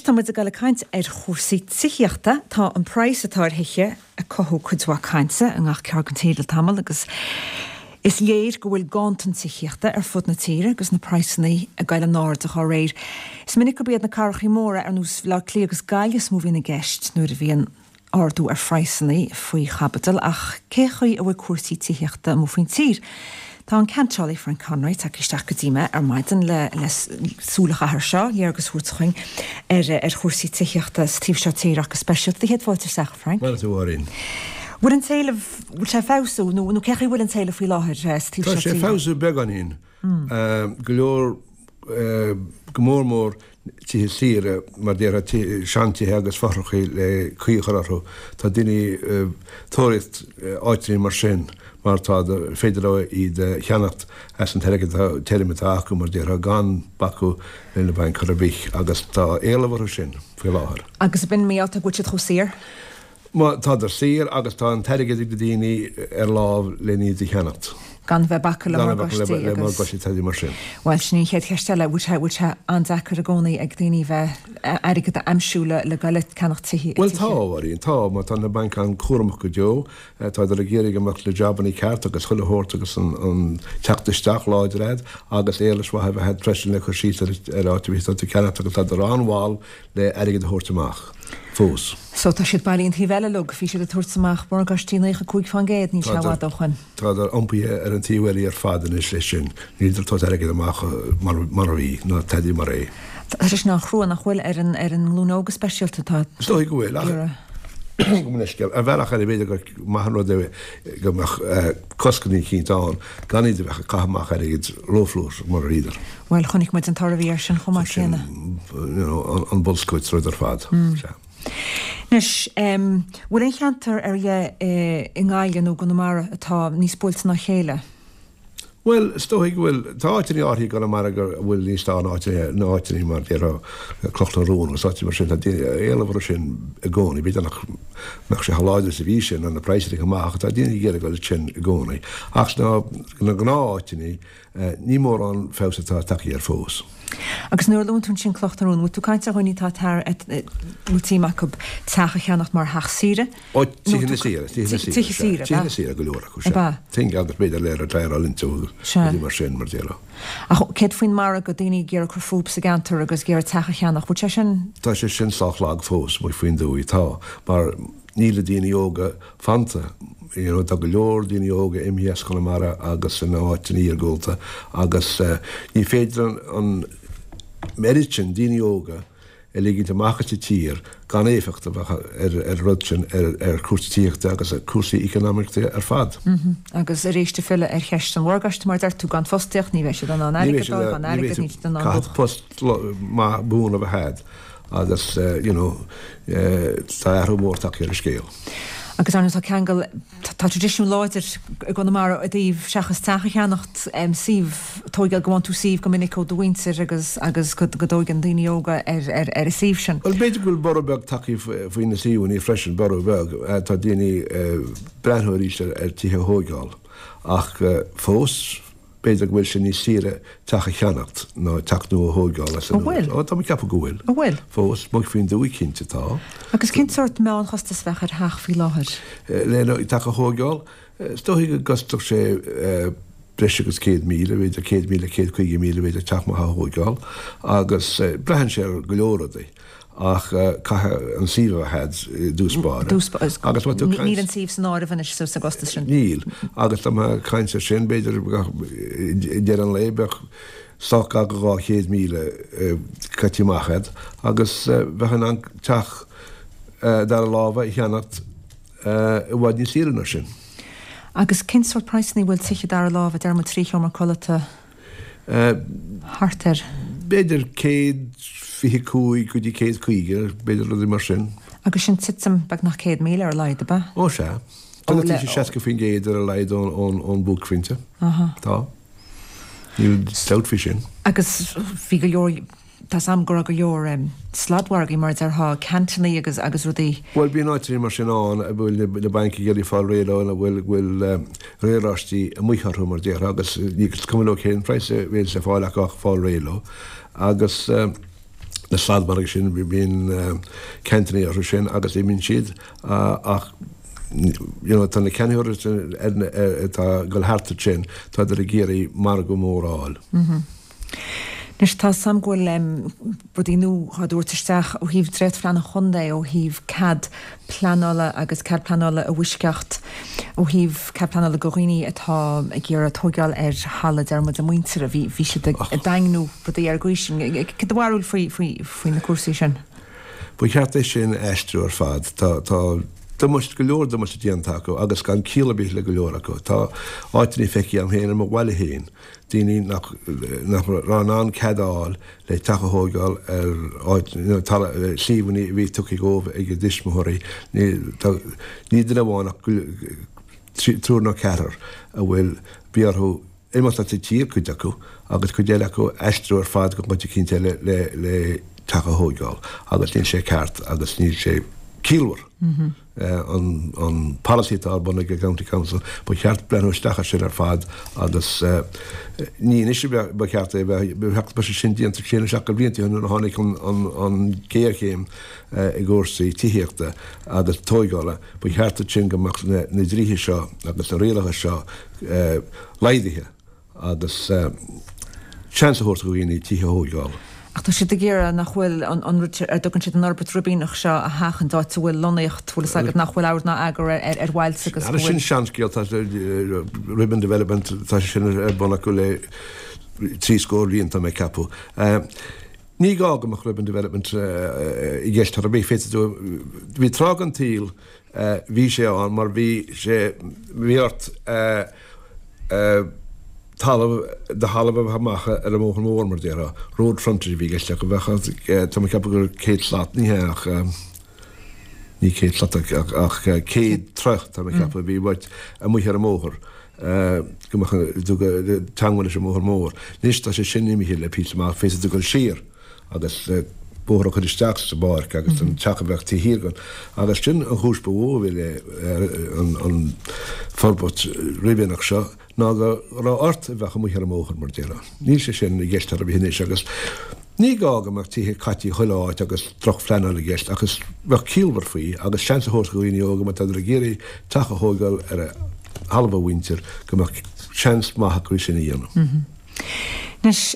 tá muid ag dul ag caint ar chúrsaí tithíochta. Tá an praghas atá ar thithe ag cothú cuid mhaith cainte i ngach ceard den tír le tamall agus is léir go bhfuil ganntan tithíochta ar fud na tíre agus na praghsanna ag dul in airde dá réir. Is minic gurb iad na cathrachaí móra ar nós Bhaile Átha Cliath agus Gaillimh is mó a bhíonn i gceist nuair a bhíonn ardú ar phraghsanna faoi chaibidil ach cé chaoi a bhfuil cúrsaí tithíochta amuigh faoin tír? Tá an ceantálaí Frank Conroy tagtha isteach go dtí mé ar maidin le le súil a chaitheamh air seo, léargas a thabhairt chugainn ar ar chúrsaí tithíochta sa taobh seo tíre ach go speisialta. Do chéad fáilte isteach, a Frank. Maith thú, a Mháirín. Bhfuil an t-éileamh, bhfuil sé ag feabhsú nó nó cé chaoi a bhfuil an t-éileamh faoi láthair sa taobh seo tíre? Tá sé ag feabhsú beagáinín. Go leor, go mór mór tithe saoire, mar déarfá, seantithe agus fothrachaí le caoi a chur orthu. Tá daoine ag tóraíocht áiteanna mar sin mar tá féidir leo iad a cheannacht as an t-airgead tirim atá acu, mar déarfá, gan bacadh le na bainc chor ar bith agus tá éileamh orthu sin faoi láthair. Agus ab in mar gheall go bhfuil siad chomh saor? Má tádar saor agus tá an t-airgead ag na daoine ar láimh len iad a cheannacht. Gan bheith ag bacadh le morgáistí agus. Gan bheith ag bacadh le morgáistí teidí mar sin. Bhuel, sin í an chéad cheist eile, bhfuil sé, bhfuil sé an-deacair i gcónaí ag daoine bheith, airgead a aimsiú le, le goil ag ceannacht tithe, Bhuel tá, a Mháirín, tá, mar tá na bainc an-chúramach go deo, tádar ag iarraidh go mbeadh na jabannaí ceart agus chuile shórt agus an, an teacht isteach láidir a'd agus éarlais mhaith a bheith a'd freisin le cur síos ar, ar áit a bhí tú ag ceannacht agus tádar an-mhall le airgead a thabhairt amach fós. So tá siad bailí an taobh eile uilig, bhí siad ag tabhairt amach morgáistí 95%, níl sé i bhfad ó shoin. Tádar iompaithe ar an taobh eile ar fad anois leis sin, níltear ag tabhairt airgead amach mar a bhí, ná tada mar é. Tá sé sin an-chrua nach bhfuil ar an ar an nglúin óg go speisialta atá Is dóigh go bhfuil, ach gabh mo leithscéal, ar bhealach eile b'fhéidir gur maith an rud é go mbeadh cosc eicínt ann gan iad a bheith ag caitheamh amach airgid rófhlúirseach mar a bhíodar. Bhuel, chonaic muid an toradh a bhí air sin chomh maith céanna. Sin, you know, an bolscaireacht is rud ar fad. Sea. Anois, bhfuil aon cheantar ar leith i nGaillimh nó i gConamara atá níos buailte ná a chéile? Bhuel, is dóigh go bhfuil. Tá áiteanna áirithe i gConamara go bhfuil níos fearr ná áiteanna, ná áiteanna mar déarfá Cloch na Rón agus áiteanna mar sin. Tá éileamh orthu sin i gcónaí. B'fhéidir nach mbeadh sé chomh láidir is a bhí sé nuair na praghsanna chomh maith ach tá daoine ag iarraidh dul ansin i gcónaí. Ach sna gnáth-áiteanna, Ní mórán feabhas atá tagtha air fós. Agus nuair a luann tú ansin Cloch na Rón, bhfuil tú ag caint ar dhaoine atá tar, bhfuil suim acu teach a cheannacht mar theach saoire? Ó, tithe saoire, tithe saoire, tithe saoire, tithe saoire go leor acu, sea. Thing agus b'fhéidir le retireáil into agus rudaí mar sin, mar déarfá. Ach céard faoin margadh, daoine ag iarraidh cur fúthu sa gceantar agus ag iarraidh teach a cheannach, bhfuil sé sin? Tá sé sin sách lag fós, amuigh faoin dtuaith, tá, mar níl na daoine óga fanta. You know, tá go leor daoine óga imithe as Conamara agus na áiteanna iargúlta agus ní féidir an oiread sin daoine óga a ligint amach as an tír gan éifeacht a bheith ar an rud sin ar chúrsaí tithíochta agus ar chúrsaí eacnamaíochta ar fad. Agus arís ag filleadh ar cheist an mhorgáiste, mar a deir tú, gan fostaíocht ní bheidh siad in ann airgead a fháil, gan airgead níl siad in ann. Caithfidh post maith buan a bheith a'd. agus you know tá athrú mór tagtha ar an scéal. Agus ar ndóigh tá ceangal, tá traidisiún láidir i gConamara i dtaobh seachas teach a cheannacht, suíomh, tóigeáil, go bhfaigheann tú suíomh go minic ó do mhuintir agus agus go dtóigeann daoine óga ar ar ar an suíomh sin. Bhuel b'fhéidir go bhfuil borradh beag tagtha faoi na suíomhanna freisin, borradh beag. Tá daoine ag breathnú arís ar tithe a thóigeáil ach fós, B'fhéidir go bhfuil sé níos saoire teach a cheannacht ná teach nua a thóigeáil as an nua. An bhfuil? Ó, tá mé ag ceapadh go bhfuil. An bhfuil? Fós, amuigh faoin dtuaith cinnte tá. Agus cén sórt meánchostas a bheadh ar theach faoi láthair? Le teach a thóigeáil, is dóigh go gcostódh sé breis agus 100,000, b'fhéidir 100,000, 150,000 b'fhéidir teach maith a thóigeáil agus braitheann sé ar go leor rudaí. Ach caithfidh an suíomh a bheith a'd i dtús báire. Agus má tú ag caint. Níl an suíomh san áireamh anois sa gcostas sin. Níl. Agus tá mé ag caint ar sin, b'fhéidir i ndeireadh an lae bheadh sách gar go 200,000 caite amach a'd agus bheifeá in ann teach dara láimhe a cheannacht i bhfad níos saoire ná sin. Agus cén sórt praghsanna a bhfuil tithe dara láimhe, deir muid 3 sheomra codlata? Thart ar. B'fhéidir 125 go dtí 150, b'fhéidir rudaí mar sin. Agus sin titim beagnach 100,000 ar a laghad, ab ea? Ó sea. Tá sé 60% ar a laghad ón buaicphointe. Tá. Níl dabht faoi sin. Agus bhí go leor Tá 's a'm go raibh go leor sladmhargaí mar a déarfá, ceantannaí agus agus rudaí. Bhuel bíonn áiteanna mar sin ann a bhfuil na bainc ag iarraidh fáil réidh leo, ina bhfuil bhfuil riaráistí amuigh orthu mar déarfá agus ní is cuma leo cén praghas a bhéas le fáil acu ach fáil réidh leo. Agus. Na sladmhargaí sin, bíonn ceantanna orthu sin agus imíonn siad ach you know tá na ceannaitheoirí atá ag dul thart ansin, tádar ag iarraidh margadh mór a fháil. Anois tá 's a'm go bhfuil rudaí nua á dtabhairt isteach ó thaobh dréachtphlean an chontae, ó thaobh cead pleanála agus cead pleanála i bhfoisceacht, ó thaobh cead pleanála go dhaoine atá ag iarraidh tóigeáil ar thalamh, deir muid, a muintire. Bhí, bhí siad ag daingniú rudaí ar an gcaoi sin. Cad é do bharúil faoi, faoi, faoi na cúrsaí sin? Ba cheart é sin a aistriú ar fad. Tá, tá damáiste, go leor damáiste déanta acu agus gan ciall ar bith le go leor acu. Tá áiteanna feicthe agam féin i mo bhaile féin daoine nach raibh in ann cead a fháil le teach a thóigeáil ar áit, talamh, suíomhanna a bhí tugtha dhóibh ag a dtuismitheoirí. Ní duine amháin ach triúr nó ceathrar a bhfuil, bhí orthu imeacht as an tír, cuid acu, agus cuid eile acu aistriú ar fad go áit eicínt eile le teach a thóigeáil agus níl sé ceart agus níl sé ciallmhar. an polasaí atá ar bun ag an County Council, ba cheart breathnú isteach air sin ar fad agus ní anois a ba cheart é a bheith, ba cheart go mbeadh sé sin déanta sé nó seacht de bhlianta ó shin nuair a tháinig an ghéarchéim i gcúrsaí tithíochta agus tóigeála. Ba cheart ansin go mbeadh na dlíthe seo agus na rialacha seo laghdaithe. agus seans a thabhairt do dhaoine tithe a thóigeáil. Ach tá siad ag iarraidh nach bhfuil an rud ar a dtugann siad an fhorbairt ribíneach seo a sheachaint, áit a bhfuil lonnaíocht, bhfuil fhios agat, nach bhfuil ord ná eagar ar bhailte agus go bhfuil. Sin seanscéal, tá ribbon development, tá sé sin ar bun acu le trí scór bliain, tá mé ag ceapadh. Ní gá go mbeadh ribbon development i gceist ar bith, féadfaidh tú, bhí tráth den tsaol, bhí sé ann mar bhí sé, bhí ort, talamh, do thalamh a bheith amach ar an mbóthar mór, mar a déarfá. Road frontage a bhí i gceist ach bheadh, tá mé ag ceapadh gur 100 slat, ní hea ach, ní 100 slat ach 100 troigh, tá mé ag ceapadh, a bhí uait amuigh ar an mbóthar, go mbeadh tú ag teangmháil leis an mbóthar mór. Anois tá sé sin imithe le píosa amach, féadfaidh tú dul siar. agus bóthar a chur isteach sa bpáirc agus an teach a bheadh taobh thiar den. Agus sin an chúis ba mhó a bhí le an forbairt ribíneach seo ná go raibh ort a bheith amuigh ar an mbóthar mar a déarfá. Níl sé sin i gceist ar bith anois agus ní gá go mbeadh tithe caite chuile áit agus drochphleanáil i gceist ach is bheadh ciallmhar faoi agus seans a thabhairt do dhaoine óga má tádar ag iarraidh teach a thóigeáil ar thalamh a mhuintir go mbeadh seans maith acu é sin a dhéanamh. Anois,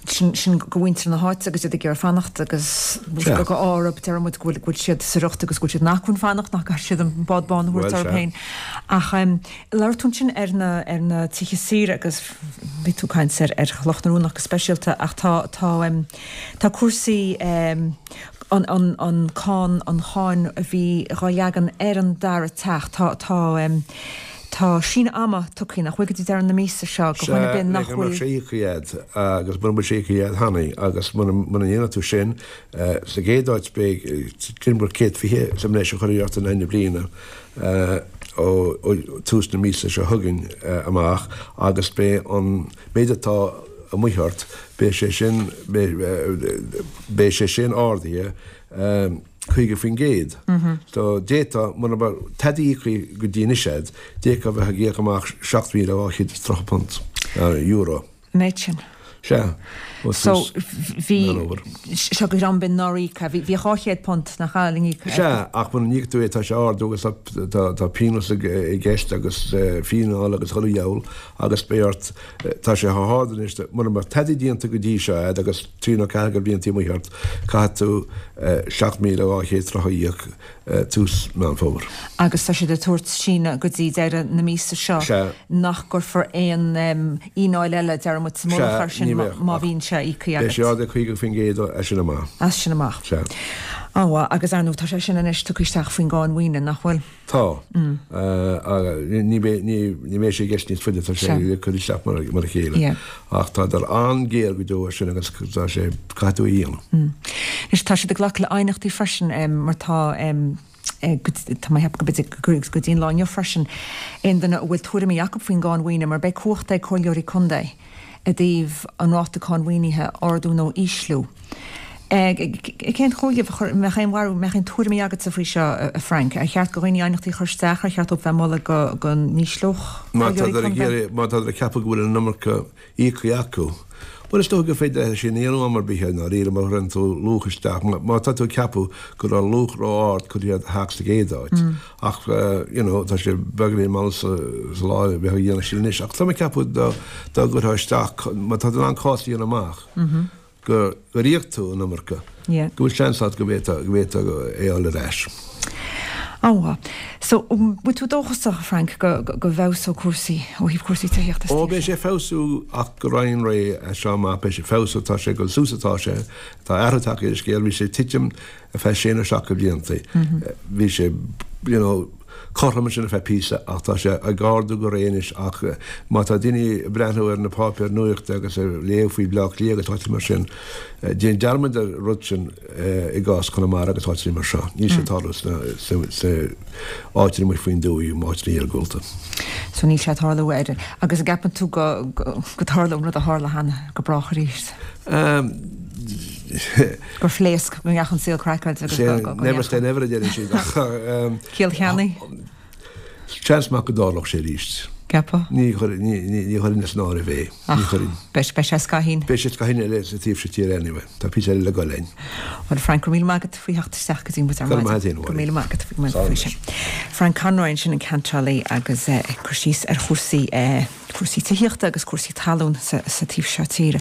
sin sin go mhuintir na háite agus iad ag iarraidh fanacht agus go árb deir muid go bhfuil siad sa riocht agus go bhfuil siad in acmhainn fanacht nach gcaithfidh siad an bád bán a thabhairt orthu féin. Ach labhair tú ansin ar na ar na tithe saoire agus bhí tú ag caint ar ar Chloch na Rón go speisialta ach tá tá tá cúrsaí an an an cáin an cháin a bhí dhá leagan ar an dara teach tá tá Tá síneadh ama tugtha, nach bhfuil, go dtí deireadh na míosa seo do dhuine ar bith nach bhfuil. Sea, le go mbeadh sé íoctha agat agus mura bhfuil sé íoctha agat cheana agus muna ndéanfaidh tú sin, sa gcéad áit beidh timpeall 120 sa mbreis a chuirfear ort in aghaidh na bliana ó tús na míosa seo chugainn amach agus beidh an méid atá amuigh ort, beidh sé sin, beidh sé sin ardaithe. 50%. So d'fhéadfá, mura mbeadh tada íoctha go dtí anois agat, d'fhéadfá a bheith ag íoc amach £7,230, euro. An méid sin? Sea. Ó So, bhí, seo do dhream b'in nár íoc, bhí £200 nach ea le n-íoc. Sea, ach mura n-íoc tú é tá sé ag ardú agus tá, tá pionós i gceist agus fíneáil agus chuile dheabhal agus beidh ort, tá sé chomh hard anois, mura mbeadh tada déanta go dtí seo agat agus trí nó ceathair de bhlianta amuigh ort, caithfidh tú 7,230 a íoc tús Meán Fómhair. Agus tá siad ag tabhairt síneadh go dtí deireadh na míosa seo Sea. nach gcuirfear aon fhíneáil eile, deir muid, sa mullach air Sea, sin ní bheadh, má ach bhíonn sé íoctha beidh sé agat. ardaithe 50% as sin amach. As sin amach. Sea. An-mhaith. Agus ar ndóigh tá sé sin anois tugtha isteach faoin gcáin mhaoine, nach bhfuil? Tá. Ní bheidh sé i gceist níos faide, tá sé ag cur isteach mar a chéile. Ach tádar an-ghéar go deo air sin agus tá sé, caithfidh tú a dhéanamh. Anois tá siad ag glacadh le aighneachtaí freisin mar tá, tá mé ag ceapadh go b'fhéidir go dtí an lá inniu freisin, aon duine a bhfuil tuairimí acu faoin gcáin mhaoine mar beidh cumhacht ag comhairleoirí contae i dtaobh an ráta cáin mhaoinithe a ardú nó a ísliú. Cén chomhairle a chur, mbeadh aon bharúil, mbeadh aon tuairimí agatsa faoi seo, a Frank? Ar cheart do dhaoine aighneachtaí a chur isteach, ar cheart dóibh bheith ag moladh go go n-ísleodh Má comhairleoirí tádar ag contae? iarraidh, má tádar ag ceapadh go bhfuil an iomarca íoctha acu, Bhuel, is dócha gur féidir é sin a dhéanamh am ar bith i ndáiríre má chuireann tú luach isteach, má tá tú ag ceapadh go raibh luach ró-ard curtha ar do theach sa gcéad áit. Ach, you know, tá sé beagáinín mall sa lá a bheith á dhéanamh sin anois. Ach tá mé ag ceapadh dá gcuirfeá isteach, má tá tú in ann cás a dhéanamh amach, gur íoc tú an iomarca, go bhfuil seans agat go bhféadfá é a fháil ar ais. An-mhaith. So, an bhfuil tú dóchasach, a Frank, go bhfeabhsóidh cúrsaí ó thaobh cúrsaí tithíochta sa tír seo? Ó, beidh sé ag feabhsú ach go righin réidh as seo amach. Beidh sé ag feabhsú, tá sé ag dul suas atá sé. Tá athrú tagtha ar an scéal, bhí sé ag titim ar feadh sé nó seacht de bhlianta. Bhí sé, you know, cothrom ansin ar feadh píosa ach tá sé ag ardú go réidh anois ach má tá daoine ag breathnú ar na páipéir nuachta agus ag léamh faoi Bleá Cliath agus áiteanna mar sin, déan dearmad ar an rud sin i gcás Chonamara agus áiteanna mar seo. Níl sé ag tarlú sna áiteanna amuigh faoin dtuaith, áiteanna iargúlta. So níl sé ag tarlú ar, agus an gceapann tú go dtarlóidh an rud a tharla cheana go brách arís? Gur phléasc, go ndeachaigh an saol craiceáilte agus go. Never say never a deireann siad ach. Ciall cheannaigh. Seans maith go dtarlódh sé arís. Ceapfá? Ní chuirfinn as an áireamh é. Ní chuirfinn. Beidh sé scaithín. Beidh sé scaithín eile sa taobh seo tíre anyway. Tá píosa eile le goil linn. Bhuel Frank, go raibh míle maith agat faoi theacht isteach go dtí muid ar maidin. Go raibh maith agat féin, a Go raibh míle maith agat faoi sin. Frank Conroy ansin an ceantálaí agus ag cur síos ar chúrsaí, cúrsaí tithíochta agus cúrsaí talún sa taobh seo tíre.